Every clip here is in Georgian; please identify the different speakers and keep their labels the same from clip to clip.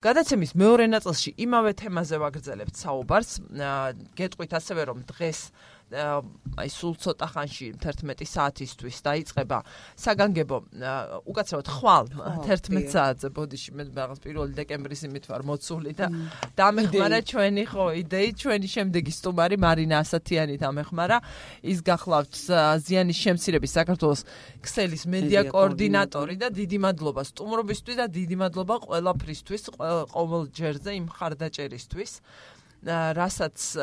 Speaker 1: გადაცემის მეორე ნაწილში იმავე თემაზე ვაგრძელებთ საუბარს. გეტყვით ასევე რომ დღეს აი სულ ცოტა ხანში 11 საათისთვის დაიწყება საგანგებო უკაცრავად ხვალ 11 საათზე ბოდიში მე რაღაც 1 დეკემბრის იმით ვარ მოცული და დამეხმარა ჩვენი ხო იდეით ჩვენი შემდეგი სტუმარი მარინა ასათიანი დამეხმარა ის გახლავთ ზიანის შემცირების საქართველოს ქსელის მედია კოორდინატორი და დიდი მადლობა სტუმრობისთვის და დიდი მადლობა ყველაფრისთვის ყოველ ჯერზე იმ ხარდაჭერისთვის რასაც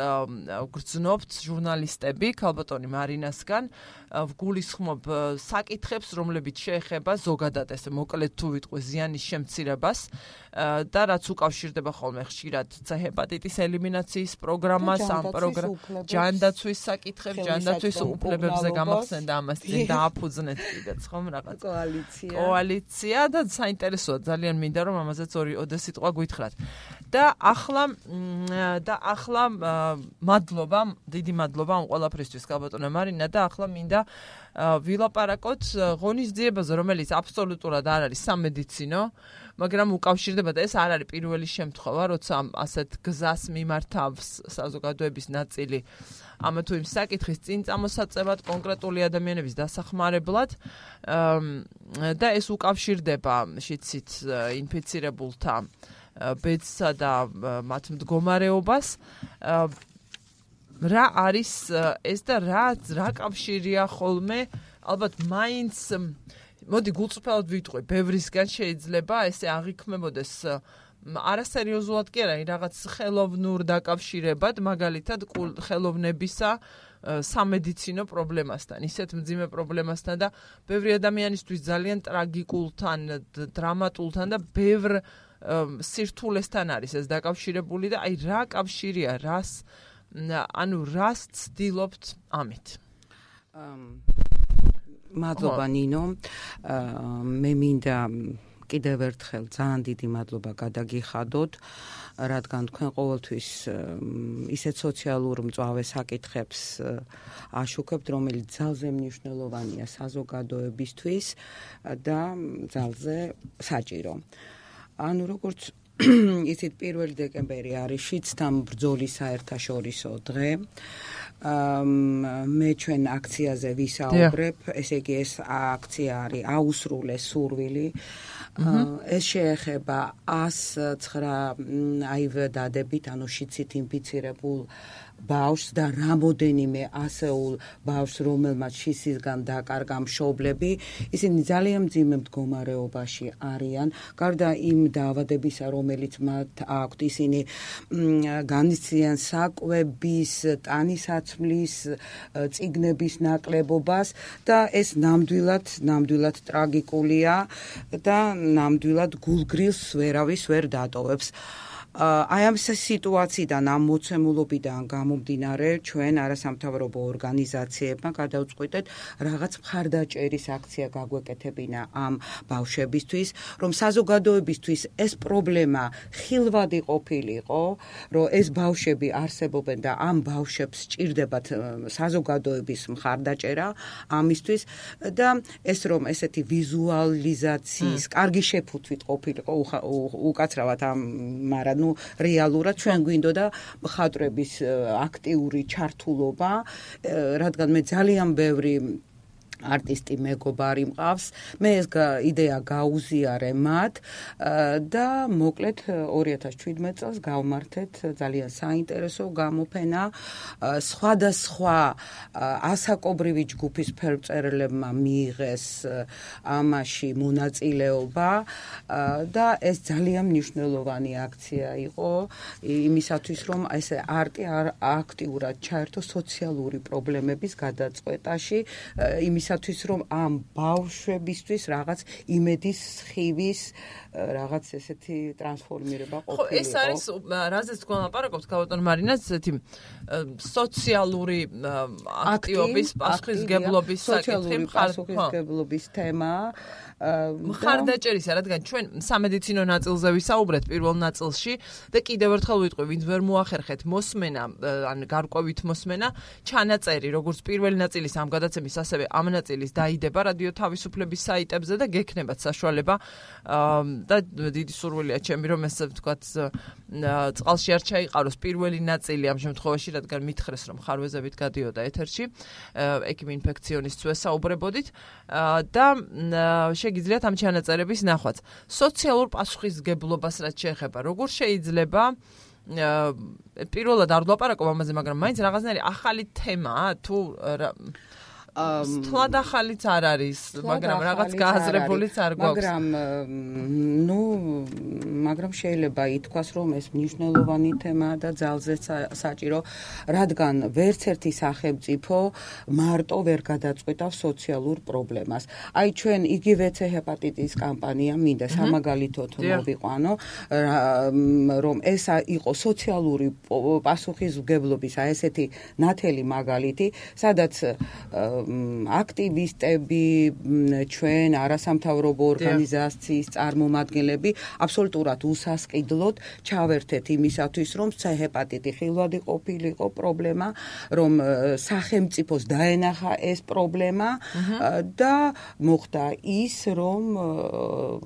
Speaker 1: გრძნობთ ჟურნალისტები ქალბატონი მარინასგან ვგულისხმობ საკითხებს რომლებიც შეეხება ზოგადად ესე მოკლედ თუ ვიტყვი ზიანის შემცირებას და რაც უკავშირდება ხოლმე ხშირად ჰეპატიტის ელიმინაციის პროგრამას ამ ჯანდაცვის საკითხებს ჯანდაცვის უფლებებზე გამახსენდა ამას წინ დააფუძნეთ კიდეც ხომ რაღაც კოალიცია და საინტერესოა ძალიან მინდა რომ ამაზეც ორი სიტყვა გვითხრათ და ახლა მადლობა დიდი მადლობა ამ ყველაფრისთვის ქალბატონო მარინა და ახლა მინდა ვილაპარაკოთ ღონისძიებაზე რომელიც აბსოლუტურად არ არის სამედიცინო მაგრამ უკავშირდება და ეს არ არის პირველი შემთხვევა როცა ასეთ გზას მიმართავს საზოგადოების ნაწილი ამა თუ იმ საკითხის წინ წამოსაწევად კონკრეტული ადამიანების დასახმარებლად და ეს უკავშირდება შიცით ინფიცირებულთა ბედსა და მათ მდგომარეობას რა არის ეს და რა კავშირია ხოლმე ალბათ მაინც მოდი გულწრფელად ვიტყვი ბევრისგან შეიძლება ესე აღიქმებოდეს არასერიოზულად კი არა რაღაც ხელოვნურ დაკავშირებად მაგალითად ხელოვნებისა სამედიცინო პრობლემასთან ისეთ მძიმე პრობლემასთან და ბევრი ადამიანისთვის ძალიან ტრაგიკულთან დრამატულთან და ბევრ სირთულესთან არის ეს დაკავშირებული და აი რა კავშირია რას ცდილობთ ამით
Speaker 2: მადლობა ნინო მე მინდა კიდევ ერთხელ ძალიან დიდი მადლობა გადაგიხადოთ რადგან თქვენ ყოველთვის ისეთ სოციალურ მწვავე საკითხებს აშუქებთ რომელიც ძალზე მნიშვნელოვანია საზოგადოებისთვის და ძალზე საჭირო ანუ როგორც იცით 1 დეკემბერი არის შიდსთან ბრძოლის საერთაშორისო დღე მე ჩვენ აქციაზე ვისაუბრებ ესე იგი ეს აქცია არის აუსრულე სურვილი ეს შეეხება 109 აივ დადებით ანუ შიდსით ინფიცირებულ ბავშვს და რამოდენიმე ასეულ ბავშვს რომელმაც შიდსისგან დაკარგა მშობლები ისინი ძალიან მძიმე მდგომარეობაში არიან გარდა იმ დაავადებისა რომელიც მათ აქვთ ისინი განიცდიან საკვების ტანისაცმლის წიგნების ნაკლებობას და ეს ნამდვილად ტრაგიკულია და ნამდვილად გულგრილს ვერავის ვერ დატოვებს აი ამ სიტუაციიდან ამ მოცემულობიდან გამომდინარე ჩვენ არასამთავრობო ორგანიზაციებმა გადავწყვიტეთ რაღაც მხარდაჭერის აქცია გაგვეკეთებინა ამ ბავშვებისთვის რომ საზოგადოებისთვის ეს პრობლემა ხილვადი ყოფილიყო რომ ეს ბავშვები არსებობენ და ამ ბავშვებს სჭირდებათ საზოგადოების მხარდაჭერა ამისთვის და ეს რომ ესეთი ვიზუალიზაციის კარგი შეფუთვით ყოფილიყო უკაცრავად ამ მაგრამ რეალურად ჩვენ გვინდოდა მხატვრების აქტიური ჩართულობა რადგან მე ძალიან ბევრი არტისტი მეგობარი მყავს მე ეს იდეა გაუზიარე მათ და მოკლედ 2017 წელს გავმართეთ ძალიან საინტერესო გამოფენა სხვადასხვა ასაკობრივი ჯგუფის ფერმწერლებმა მიიღეს ამაში მონაწილეობა და ეს ძალიან მნიშვნელოვანი აქცია იყო იმისათვის რომ ესე არტი აქტიურად ჩაერთო სოციალური პრობლემების გადაწყვეტაში იმისათვის რომ ამ ბავშვებისთვის რაღაც იმედის სხივის რაღაც ესეთი ტრანსფორმირება ყოფილიყო.
Speaker 1: ხო, ეს არის რაზეც თქვენ ლაპარაკობთ ქალბატონ მარინას ესეთი სოციალური აქტივობის პასუხისგებლობის საკითხი
Speaker 2: პასუხისგებლობის თემა
Speaker 1: მხარდაჭერისა, რადგან ჩვენ სამედიცინო ნაწილზე ვისაუბრეთ პირველ ნაწილში და კიდევ ერთხელ ვიტყვი, ვინც ვერ მოახერხეთ მოსმენა, ან გარკვევით მოსმენა, ჩანაწერი, როგორც პირველი ნაწილის ამ გადაცემის, ასევე ამ მონაწილის დაიდება რადიო თავისუფლების საიტებზე და გექნებათ საშუალება და დიდი სურვილია ჩემი რომ ესე ვთქვათ წყალში არ ჩაიყაროს პირველი ნაწილი ამ შემთხვევაში, რადგან მითხრეს რომ ხარვეზებით გადიოდა ეთერში, ექიმ ინფექციონისტს ვესაუბრებოდით და შეგიძლიათ ამ ჩანაწერების ნახვაც. სოციალურ პასუხისმგებლობას რაც შეეხება, როგორ შეიძლება პირველად არ ვლაპარაკობ ამაზე, მაგრამ მაინც რაღაცნაირი ახალი თემაა თუ სთლად ახალიც არ არის, მაგრამ რაღაც გააზრებულიც არ გვაქვს.
Speaker 2: მაგრამ შეიძლება ითქვას, რომ ეს მნიშვნელოვანი თემაა და ძალზედ საჭირო, რადგან ვერც ერთი სახელმწიფო მარტო ვერ გადაწყვეტავს სოციალურ პრობლემას. აი ჩვენ იგივე C ჰეპატიტის კამპანია მინდა სამაგალითოდ მოვიყვანო, რომ ეს იყო სოციალური პასუხისმგებლობის ესეთი ნათელი მაგალითი, სადაც აქტივისტები, ჩვენ არასამთავრობო ორგანიზაციის წარმომადგენლები აბსოლუტურად უსასყიდლოდ ჩავერთეთ იმისათვის, რომ C ჰეპატიტი ხილვადი ყოფილიყო პრობლემა, რომ სახელმწიფოს დაენახა ეს პრობლემა და მოხდა ის, რომ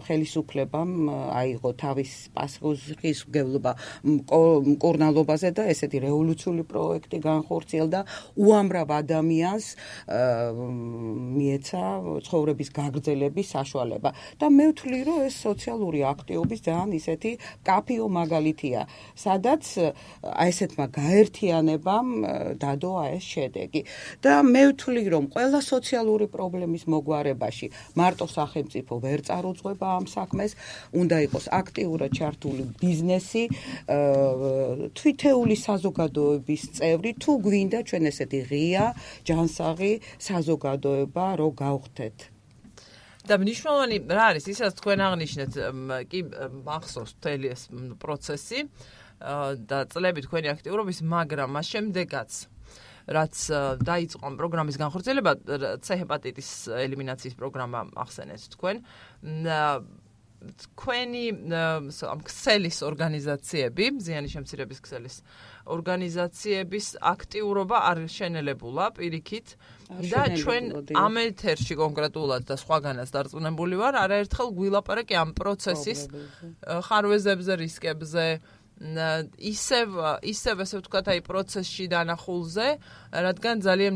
Speaker 2: ხელისუფლებამ აიღო თავის პასუხისმგებლობა მკურნალობაზე და ესეთი რევოლუციური პროექტი განხორციელდა უამრავ ადამიანს მიეცა ცხოვრების გაგრძელების საშუალება და მე ვთვლი, რომ ეს სოციალური აქტივობის ძალიან ისეთი კაფიო მაგალითია, სადაც ესეთმა გაერთიანებამ დადო ეს შედეგი და მე ვთვლი, რომ ყველა სოციალური პრობლემის მოგვარებაში მარტო სახელმწიფო ვერ წარუძღვება ამ საქმეს, უნდა იყოს აქტიურად ჩართული ბიზნესი, თვითეული საზოგადოების წევრი, თუ გვინდა ჩვენ ესეთი ღია ჯანსაღი საზოგადოება რო გავხდეთ.
Speaker 1: და მნიშვნელოვანი რა არის ისაც თქვენ აღნიშნეთ, კი მახსოვს მთელი ეს პროცესი და წლები თქვენი აქტიურობის, მაგრამ მას შემდეგაც რაც დაიწყო ამ პროგრამის განხორციელება, C ჰეპატიტის ელიმინაციის პროგრამა ახსენეთ თქვენ, თქვენი ამ ქსელის ორგანიზაციები, ზიანის შემცირების ქსელის ორგანიზაციების აქტიურობა არ შენელებულა პირიქით და ჩვენ ამ ეთერში კონკრეტულად და სხვაგანაც დარწმუნებული ვარ, არაერთხელ გვილაპარაკე ამ პროცესის ხარვეზებზე, რისკებზე, ისევ ასე ვთქვათ, აი პროცესში დანახულზე, რადგან ძალიან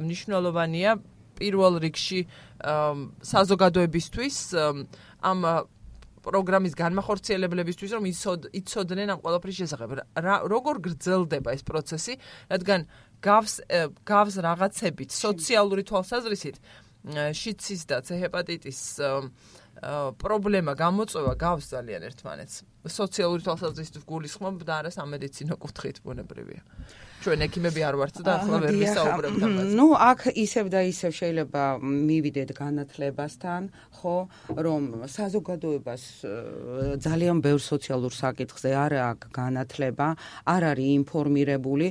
Speaker 1: მნიშვნელოვანია პირველ რიგში საზოგადოებისთვის ამ პროგრამის განმახორციელებლებისთვის, რომ იცოდნენ ამ ყველაფრის შესახებ. როგორ გრძელდება ეს პროცესი, რადგან გავს რაღაცებით სოციალური თვალსაზრისით შიცის და C ჰეპატიტის პრობლემა გამოწვევა გავს ძალიან ერთმანეთს. სოციალური თვალსაზრისით გულისხმობ და არა სამედიცინო კუთხით ბუნებრივია. ჩვენ ექიმები არ ვართ და ახლა ვერ ვისაუბრებთ ამაზე.
Speaker 2: აქ ისევ და ისევ შეიძლება მივიდეთ განათლებასთან, ხო, რომ საზოგადოებას ძალიან ბევრ სოციალურ საკითხზე არ აქვს განათლება, არ არის ინფორმირებული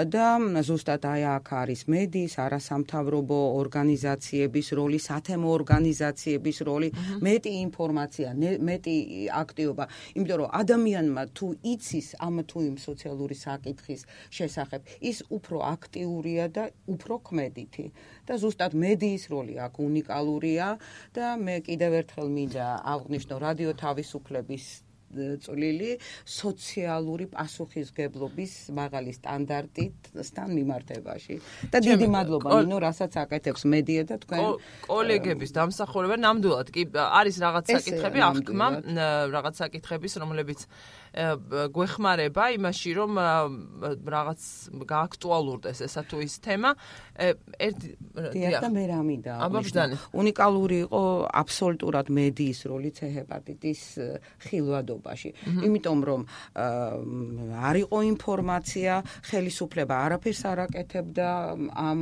Speaker 2: და ზუსტად აი აქ არის მედიის, არასამთავრობო ორგანიზაციების როლი, სათემო ორგანიზაციების როლი, მეტი ინფორმაცია, მეტი აქტივობა, იმიტომ რომ ადამიანმა თუ იცის ამ თუ იმ სოციალური საკითხის შესახებ, ის უფრო აქტიურია და უფრო ქმედითი და ზუსტად მედიის როლი აქ უნიკალურია და მე კიდევ ერთხელ მინდა აღვნიშნო რადიო თავისუფლების წვლილი სოციალური პასუხისმგებლობის მაღალი სტანდარტისთან მიმართებაში და დიდი მადლობა ნინო, რასაც აკეთებს მედია და თქვენ
Speaker 1: კოლეგების დამსახურება. ნამდვილად კი არის რაღაც საკითხები, აღქმა რაღაც საკითხების, რომლებიც გვეხმარება იმაში, რომ რაღაც გააქტუალურდეს ესა თუ ის თემა.
Speaker 2: და მე რა მინდა უნიკალური იყო აბსოლუტურად მედიის როლი C ჰეპატიტის ხილვადობაში. იმიტომ რომ არ იყო ინფორმაცია, ხელისუფლება არაფერს არ აკეთებდა ამ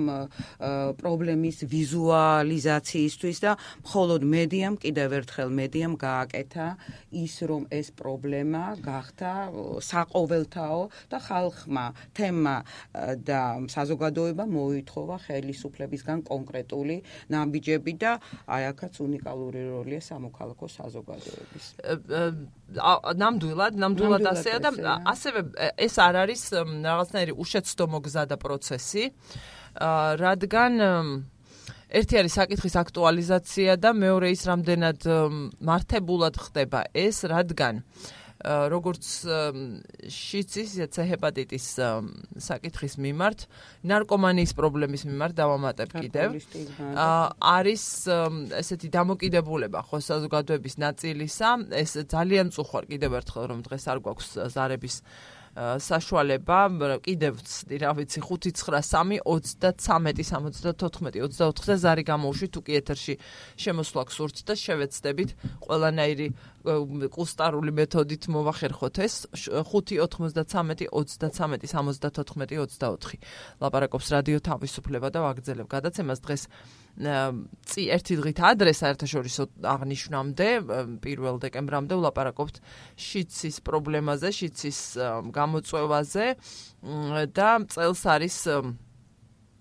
Speaker 2: პრობლემის ვიზუალიზაციისთვის და მხოლოდ მედიამ, კიდევ ერთხელ მედიამ გააკეთა ის, რომ ეს პრობლემა გახდა საყოველთაო და ხალხმა, თემმა და საზოგადოება მოითხოვა ხელისუფლებისგან კონკრეტული ნაბიჯები და აი აქაც უნიკალური როლია სამოქალაქო საზოგადოების.
Speaker 1: ნამდვილად ასეა და ასევე ეს არ არის რაღაცნაირი უშეცდომო გზა და პროცესი, რადგან ერთი არის საკითხის აქტუალიზაცია და მეორე ის რამდენად მართებულად ხდება ეს, რადგან როგორც შიცის, ისე ჰეპატიტის საკითხის მიმართ, ნარკომანიის პრობლემის მიმართ დავამატებ კიდევ. არის ესეთი დამოკიდებულება ხო საზოგადოების ნაწილისა, ეს ძალიან მწუხვარ კიდევ ერთხელ რომ დღეს არ გვაქვს ზარების საშუალება, კიდევ ვცდი, რა ვიცი, 593-33-74-24-24-ზე ზარი გამოვშვი, თუ კი ეთერში შემოსვლა გსურთ და შევეცდებით ყველანაირი კუსტარული მეთოდით მოვახერხოთ ეს 5-93-33-74-24 ლაპარაკობს რადიო თავისუფლება და ვაგრძელებ გადაცემას დღეს ერთი დღით ადრე საერთაშორისო აღნიშვნამდე 1 დეკემბრამდე ვლაპარაკობთ შიცის პრობლემაზე, შიცის გამოწვევაზე და წელს არის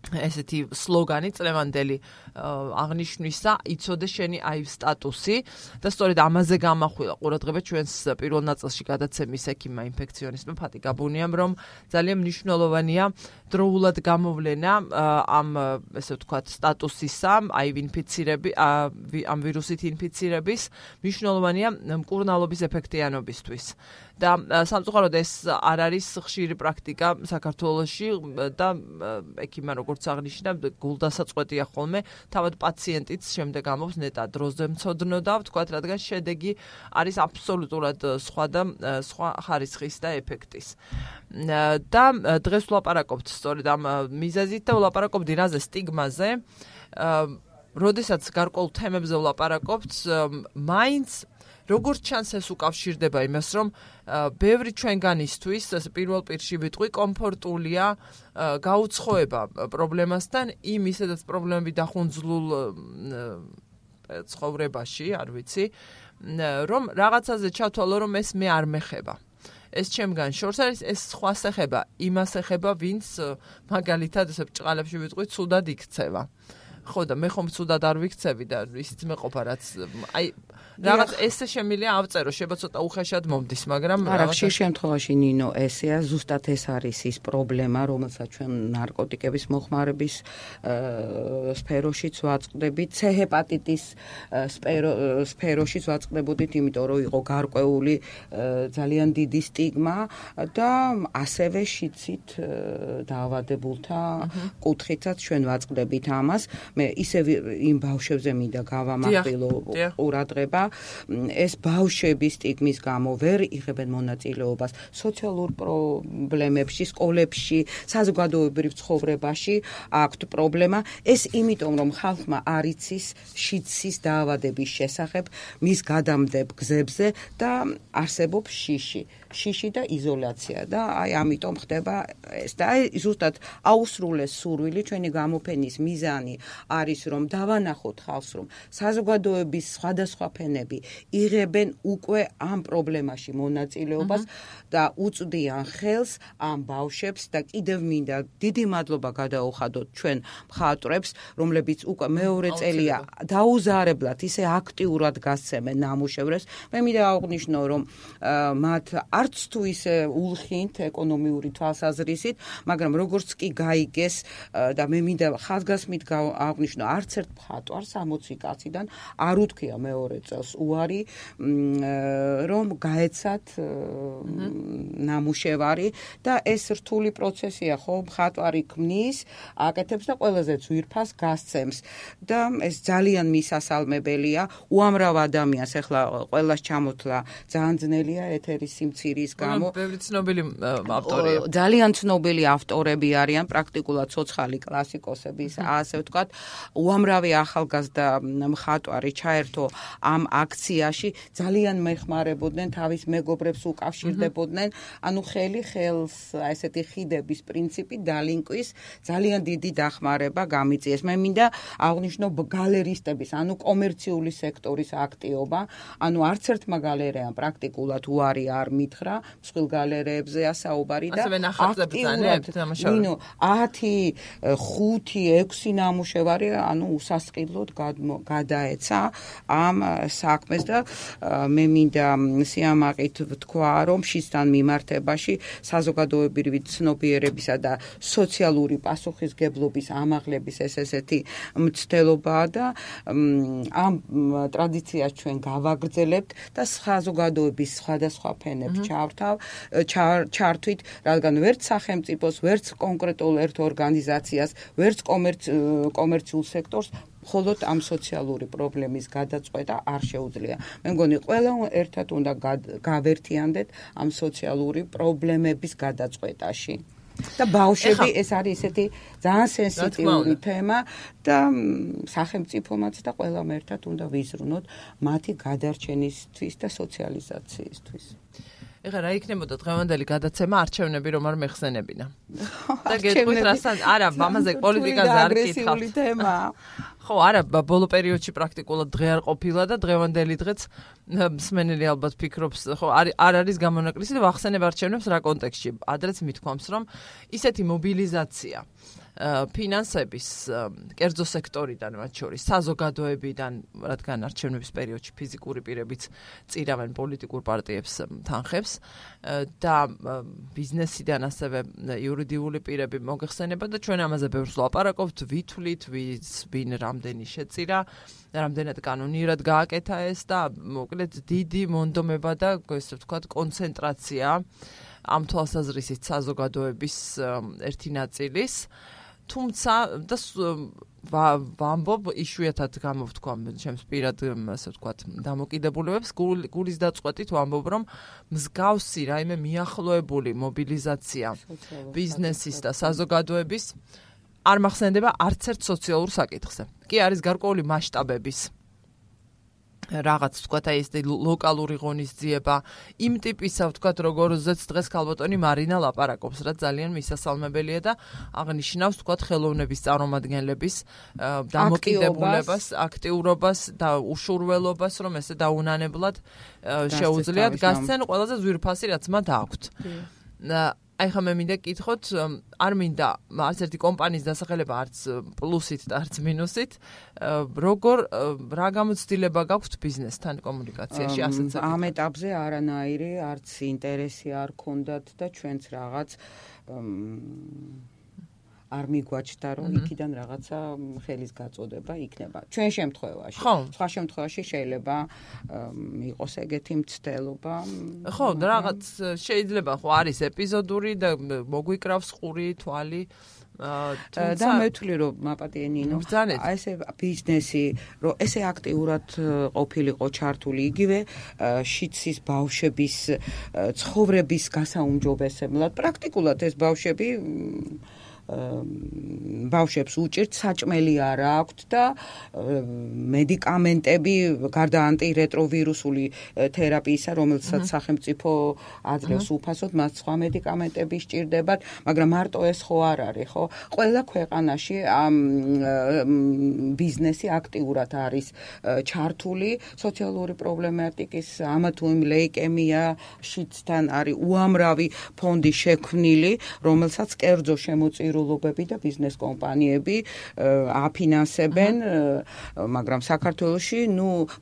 Speaker 1: ესეთი სლოგანი წლევანდელი აღნიშვნისა იცოდე შენი აივ სტატუსი და სწორედ ამაზე გამახვილა ყურადღება ჩვენს პირველ ნაწილში გადაცემის ექიმმა ინფექციონისტმა ფატი გაბუნიამ, რომ ძალიან მნიშვნელოვანია დროულად გამოვლენა ამ ესე ვთქვათ სტატუსისა, აივ ინფიცირების, ამ ვირუსით ინფიცირების, მნიშვნელოვანია მკურნალობის ეფექტიანობისთვის. და სამწუხაროდ ეს არ არის ხშირი პრაქტიკა საქართველოში და ექიმმა როგორც აღნიშნა, გულდასაწყვეტია ხოლმე, თავად პაციენტიც შემდეგ ამობს ნეტა დროზე მცოდნო და ვთქვათ, რადგან შედეგი არის აბსოლუტურად სხვა და სხვა ხარისხის და ეფექტის. და დღეს ვლაპარაკობთ სწორედ ამ მიზეზით და ვლაპარაკობთ რაზე სტიგმაზე. როდესაც გარკვეულ თემებზე ვლაპარაკობთ, მაინც როგორც ჩანს ეს უკავშირდება იმას, რომ ბევრი ჩვენგანისთვის პირველ პირში ვიტყვი კომფორტულია გაუცხოება პრობლემასთან იმ ისედაც პრობლემები დახუნძლულ ცხოვრებაში, არ ვიცი, რომ რაღაცაზე ჩათვალო, რომ ეს მე არ მეხება. ეს ჩემგან შორს არის, ეს სხვას ეხება, იმას ეხება, ვინც მაგალითად ესე ბრჭყალებში ვიტყვი, ცუდად იქცევა. ხო და მე ხომ ცუდად არ ვიქცევი და ისიც მეყოფა, რაც აი რაღაც ესე შემილია ავწერო, შეიძლება ცოტა უხეშად მომდის, მაგრამ
Speaker 2: არა, ხშირ შემთხვევაში ნინო, ესეა ზუსტად ეს არის ის პრობლემა, რომელსაც ჩვენ ნარკოტიკების მოხმარების სფეროშიც ვაწყდებით, C ჰეპატიტის სფეროშიც ვაწყდებოდით, იმიტომ რომ იყო გარკვეული ძალიან დიდი სტიგმა და ასევე შიცით დაავადებულთა კუთხითაც ჩვენ ვაწყდებით ამას. მე ისევ იმ ბავშვებზე მინდა გავამახვილო ყურადღება. ეს ბავშვები სტიგმის გამო ვერ იღებენ მონაწილეობას სოციალურ პრობლემებში, სკოლებში, საზოგადოებრივ ცხოვრებაში აქვთ პრობლემა. ეს იმიტომ, რომ ხალხმა არ იცის შიცის დაავადების შესახებ მის გადამდებ გზებზე და არსებობს შიში და იზოლაცია და აი ამიტომ ხდება ეს და აი ზუსტად აუსრულეს სურვილი ჩვენი გამოფენის მიზანი არის რომ დავანახოთ ხალხს, რომ საზოგადოების სხვადასხვა ფენები იღებენ უკვე ამ პრობლემაში მონაწილეობას და უწვდიან ხელს ამ ბავშვებს და კიდევ მინდა დიდი მადლობა გადაუხადოთ ჩვენ მხატვრებს, რომლებიც უკვე მეორე წელია დაუზარებლად ისე აქტიურად გასცემენ ნამუშევრებს. მე მინდა აღვნიშნო, რომ მათ არც თუ ისე ულხინთ ეკონომიური თვალსაზრისით, მაგრამ როგორც კი გაიგეს და მე მინდა ხაზგასმით აღვნიშნო, არც ერთ მხატვარს 60 კაციდან არ უთქვია მეორე წელს უარი, რომ გაეცათ ნამუშევარი და ეს რთული პროცესია, ხო, მხატვარი ქმნის, აკეთებს და ყველაზე ძვირფას გასცემს და ეს ძალიან მისასალმებელია. უამრავ ადამიანს ეხლა ყველას ჩამოთლა ძალიან ძნელია ეთერის სიმცირის გამო.
Speaker 1: ბევრი ცნობილი ავტორია.
Speaker 2: ძალიან ცნობილი ავტორები არიან, პრაქტიკულად ცოცხალი კლასიკოსების, ასე ვთქვათ, უამრავი ახალგაზრდა მხატვარი ჩაერთო ამ აქციაში, ძალიან მეხმარებოდნენ, თავის მეგობრებს უკავშირდებოდნენ, ანუ ხელი ხელს ესეთი ხიდების პრინციპი დალინკვის ძალიან დიდი დახმარება გამიწიეს. მე მინდა აღვნიშნო გალერისტების, ანუ კომერციული სექტორის აქტიობა, ანუ არც ერთმა გალერეამ პრაქტიკულად უარი არ მითხრა, მსხვილ გალერეებზეა საუბარი და
Speaker 1: ასევე ნახატზე ბრძანებთ ნამუშევარი.
Speaker 2: ნინო 10, 5, 6 ნამუშევარი, ანუ უსასყიდლოდ გადაეცა ამ საქმეს და მე მინდა სიამაყით ვთქვა, რომ შისთან მიმართებაში საზოგადოებრივი ცნობიერებისა და სოციალური პასუხისგებლობის ამაღლების ესეთი მცდელობაა და ამ ტრადიციას ჩვენ გავაგრძელებთ და საზოგადოების სხვადასხვა ფენებს ჩართვით, რადგან ვერც სახელმწიფოს, ვერც კონკრეტულ ერთ ორგანიზაციას, ვერც კომერციულ სექტორს მხოლოდ ამ სოციალური პრობლემის გადაწყვეტა არ შეუძლია. მე მგონი ყველა ერთად უნდა გავერთიანდეთ ამ სოციალური პრობლემების გადაწყვეტაში. და ბავშვები ეს არის ესეთი ძალიან სენსიტიური თემა და სახელმწიფომაც და ყველამ ერთად უნდა ვიზრუნოთ მათი გადარჩენისთვის და სოციალიზაციისთვის.
Speaker 1: ეხლა რა იქნებოდა დღევანდელი გადაცემა არჩევნები რომ არ მეხსენებინა. და გეტყვით რასაც არა, ამაზე პოლიტიკაზე არ კითხავთ. ხო, არა, ბოლო პერიოდში პრაქტიკულად დღე არ ყოფილა და დღევანდელი დღეც მსმენელი ალბათ ფიქრობს, ხო, არ არის გამონაკლისი და ვახსენებ არჩევნებს რა კონტექსტში. ადრეც მithქვამს, რომ ისეთი მობილიზაცია ფინანსების კერძო სექტორიდან, მათ შორის საზოგადოებიდან, რადგან არჩევნების პერიოდში ფიზიკური პირებიც წირავენ პოლიტიკურ პარტიებს თანხებს და ბიზნესიდან ასევე იურიდიული პირები მოგეხსენება და ჩვენ ამაზე ბევრს ვლაპარაკობთ, ვითვლით, ვინ რამდენი შეწირა, რამდენად კანონიერად გააკეთა ეს და მოკლედ დიდი მონდომება და ესე ვთქვათ კონცენტრაცია ამ თვალსაზრისით საზოგადოების ერთი ნაწილის თუმცა და ვამბობ იშვიათად გამოვთქვა ჩემს პირად ასე ვთქვათ დამოკიდებულებებს გულის დაწყვეტით ვამბობ რომ მსგავსი რაიმე მიახლოებული მობილიზაცია ბიზნესის და საზოგადოების არ მახსენდება არც ერთ სოციალურ საკითხზე. კი არის გარკვეული მასშტაბების რაღაც ვთქვათ აი ეს ლოკალური ღონისძიება იმ ტიპისა ვთქვათ როგორზეც დღეს ქალბატონი მარინა ლაპარაკობს რაც ძალიან მისასალმებელია და აღნიშნავს ვთქვათ ხელოვნების წარმომადგენლების დამოკიდებულებას, აქტიურობას და უშურველობას რომ ესე დაუნანებლად შეუძლიათ გასცენ ყველაზე ძვირფასი რაც მათ აქვთ. აი ხა მე მინდა კითხოთ, არ მინდა არც ერთი კომპანიის დასახელება არც პლუსით და არც მინუსით, რა გამოცდილება გაქვთ ბიზნესთან კომუნიკაციაში ასეც
Speaker 2: ამ ეტაპზე არანაირი არც ინტერესი არ ქონდათ და ჩვენც რაღაც არ მიგვაჩნდა რომ იქიდან რაღაცა ხელის გაწოდება იქნება. ჩვენ შემთხვევაში, სხვა შემთხვევაში შეიძლება იყოს ეგეთი მცდელობა.
Speaker 1: ხო, რაღაც შეიძლება ხო არის ეპიზოდური და მოგვიკრავს ყური, თვალი
Speaker 2: და მე ვთვლი რომ მაპატიე ნინო აი ესე ბიზნესი რომ ესე აქტიურად ყოფილიყო ჩართული იგივე შიცის ბავშვების ცხოვრების გასაუმჯობესებლად პრაქტიკულად ეს ბავშვებს უჭირთ საჭმელი არ აქვთ და მედიკამენტები გარდა ანტირეტროვირუსული თერაპიისა რომელსაც სახელმწიფო აძლევს უფასოდ მას სხვა მედიკამენტები სჭირდებათ მაგრამ მარტო ეს ხო არ არის ხო ყველა ქვეყანაში ამ ბიზნესი აქტიურად არის ჩართული სოციალური პრობლემატიკის ამა თუ იმ ლეიკემია შიცთან არის უამრავი ფონდი შექმნილი რომელსაც კერძო შემოწირულობები და ბიზნეს კომპანიები აფინანსებენ, მაგრამ საქართველოში,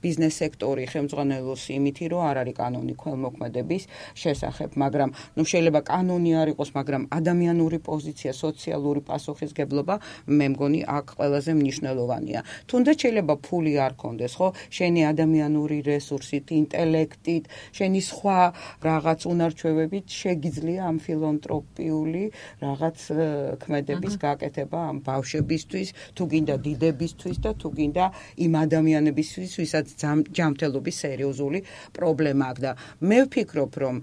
Speaker 2: ბიზნეს სექტორი ხელმძღვანელობს იმითი, რომ არ არის კანონი ქველმოქმედების შესახებ, მაგრამ შეიძლება კანონი არ იყოს, მაგრამ ადამიანური პოზიცია, სოციალური პასუხისგებლობა, მე მგონი აქ ყველაზე მნიშვნელოვანია. თუნდაც შეიძლება ფული არ კონდეს, ხო? შენი ადამიანური რესურსით, ინტელექტით, შენი სხვა რაღაც უნარჩვევებით შეგიძლია ამ ფილანთროპიული რაღაც ქმედების გაკეთება ამ ბავშვებისთვის, თუ გინდა დიდებისთვის და თუ გინდა იმ ადამიანებისთვის, ვისაც ჯანმრთელობის სერიოზული პრობლემა აქვს და მე ვფიქრობ, რომ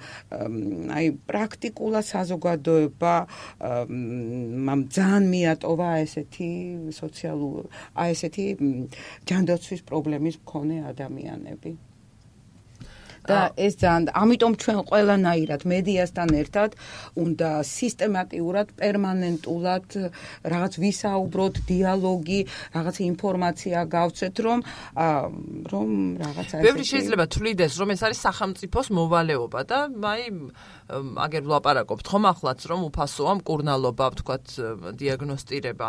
Speaker 2: აი პრაქტიკულად საზოგადოება ძალიან მიატოვა ესეთი სოციალური, ესეთი ჯანდაცვის პრობლემის მქონე ადამიანები. და ეს ძალიან ამიტომ ჩვენ ყველანაირად მედიასთან ერთად უნდა სისტემატიურად პერმანენტულად რაღაც ვისაუბროთ, დიალოგი, რაღაც ინფორმაცია გავცეთ, რომ რაღაცა
Speaker 1: ბევრი შეიძლება თვლიდეს, რომ ეს არის სახელმწიფოს მოვალეობა და აგერ ვლაპარაკობთ ხომ ახლაც, რომ უფასოა მკურნალობა, ვთქვათ, დიაგნოსტირება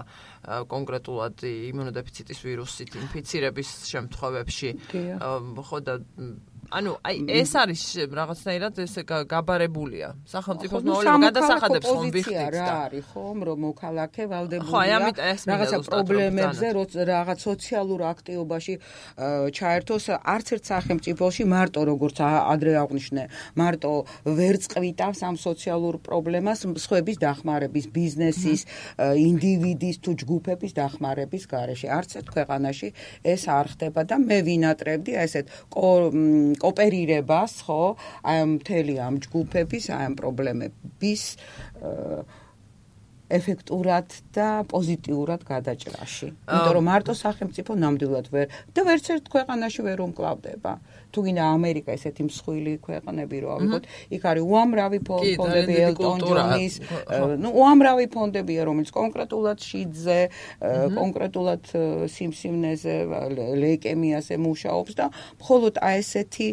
Speaker 1: კონკრეტულად იმუნოდეფიციტის ვირუსით ინფიცირების შემთხვევებში. ხო და ეს არის რაღაცნაირად ესე გაბარებულია. სახელმწიფოს მოვალეობა გადასახადებს ხომ ვიხდით
Speaker 2: და არის ხომ რომ მოქალაქე ვალდებულია რაღაცა პრობლემებზე რაღაც სოციალურ აქტივობაში ჩაერთოს არც ერთ სახელმწიფოში მარტო როგორც ადრე აღვნიშნე მარტო ვერ წყვიტავს ამ სოციალურ პრობლემას სხვების დახმარების ბიზნესის ინდივიდის თუ ჯგუფების დახმარების გარეშე არც ერთ ქვეყანაში ეს არ ხდება და მე ვინატრებდი ესეთ კოოპერირებას, ხო, აი მთელი ამ ჯგუფების, აი ამ პრობლემების ეფექტურად და პოზიტიურად გადაჭრაში. იმიტომ რომ მარტო სახელმწიფო ნამდვილად და ვერც ერთ ქვეყანაში ვერ უმკლავდება. თუ გინდა ამერიკა ესეთი მსხვილი ქვეყნები რო ავიღოთ, იქ არის უამრავი ფონდები ელტონ ჯონის, უამრავი ფონდებია, რომელიც კონკრეტულად შიდზე, კონკრეტულად სიმსივნეზე, ლეიკემიაზე მუშაობს და მხოლოდ ესეთი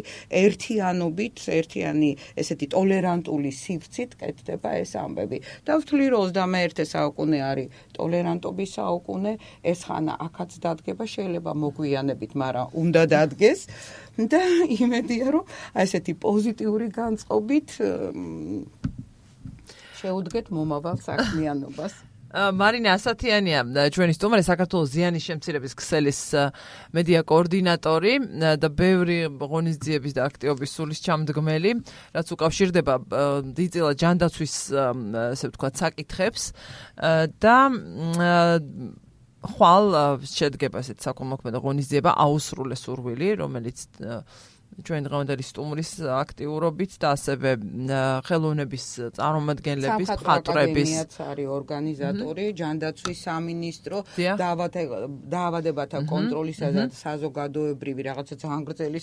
Speaker 2: ერთიანი ესეთი ტოლერანტული სივრცით კეთდება ეს ამბები. და ვთვლი რომ 21 საუკუნე არის ტოლერანტობის საუკუნე, ეს ხანა აქაც დადგება, შეიძლება მოგვიანებით, მაგრამ უნდა დადგეს. და იმედია რომ ესეთი პოზიტიური განწყობით შეუდგეთ მომავალ საქმიანობას.
Speaker 1: მარინა ასათიანია ჩვენი სტუმარი, საქართველოს ზიანის შემცირების ქსელის მედია კოორდინატორი და ბევრი ღონისძიების და აქტივობის სულისჩამდგმელი, რაც უკავშირდება დიდწილად ჯანდაცვის ესე ვთქვათ საკითხებს და ხვალ შედგება ესეთ საკოლმოქმედო ღონისძიება აუსრულე სურვილი, რომელიც ჩვენ დღევანდელი სტუმრის აქტიურობით და ასევე ხელოვნების წარმომადგენლების მხატვრების
Speaker 2: არის ორგანიზატორი, ჯანდაცვის სამინისტრო, დაავადებათა კონტროლისა და საზოგადოებრივი რაღაცა ძალიან გრძელი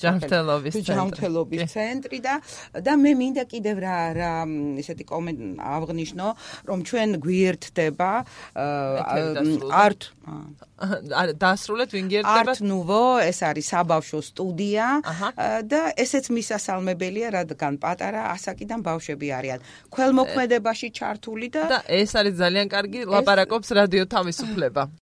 Speaker 2: ჯანმრთელობის ცენტრი და მე მინდა კიდევ რა ესეთი აღვნიშნო, რომ ჩვენ გვიერთდება დასრულეთ ვინ გიერთდება? Art Nouveau, ეს არის საბავშვო სტუდია და ესეც მისასალმებელია, რადგან პატარა ასაკიდან ბავშვები არიან ქველმოქმედებაში ჩართული და
Speaker 1: ეს არის ძალიან კარგი, ლაპარაკობს რადიო თავისუფლება.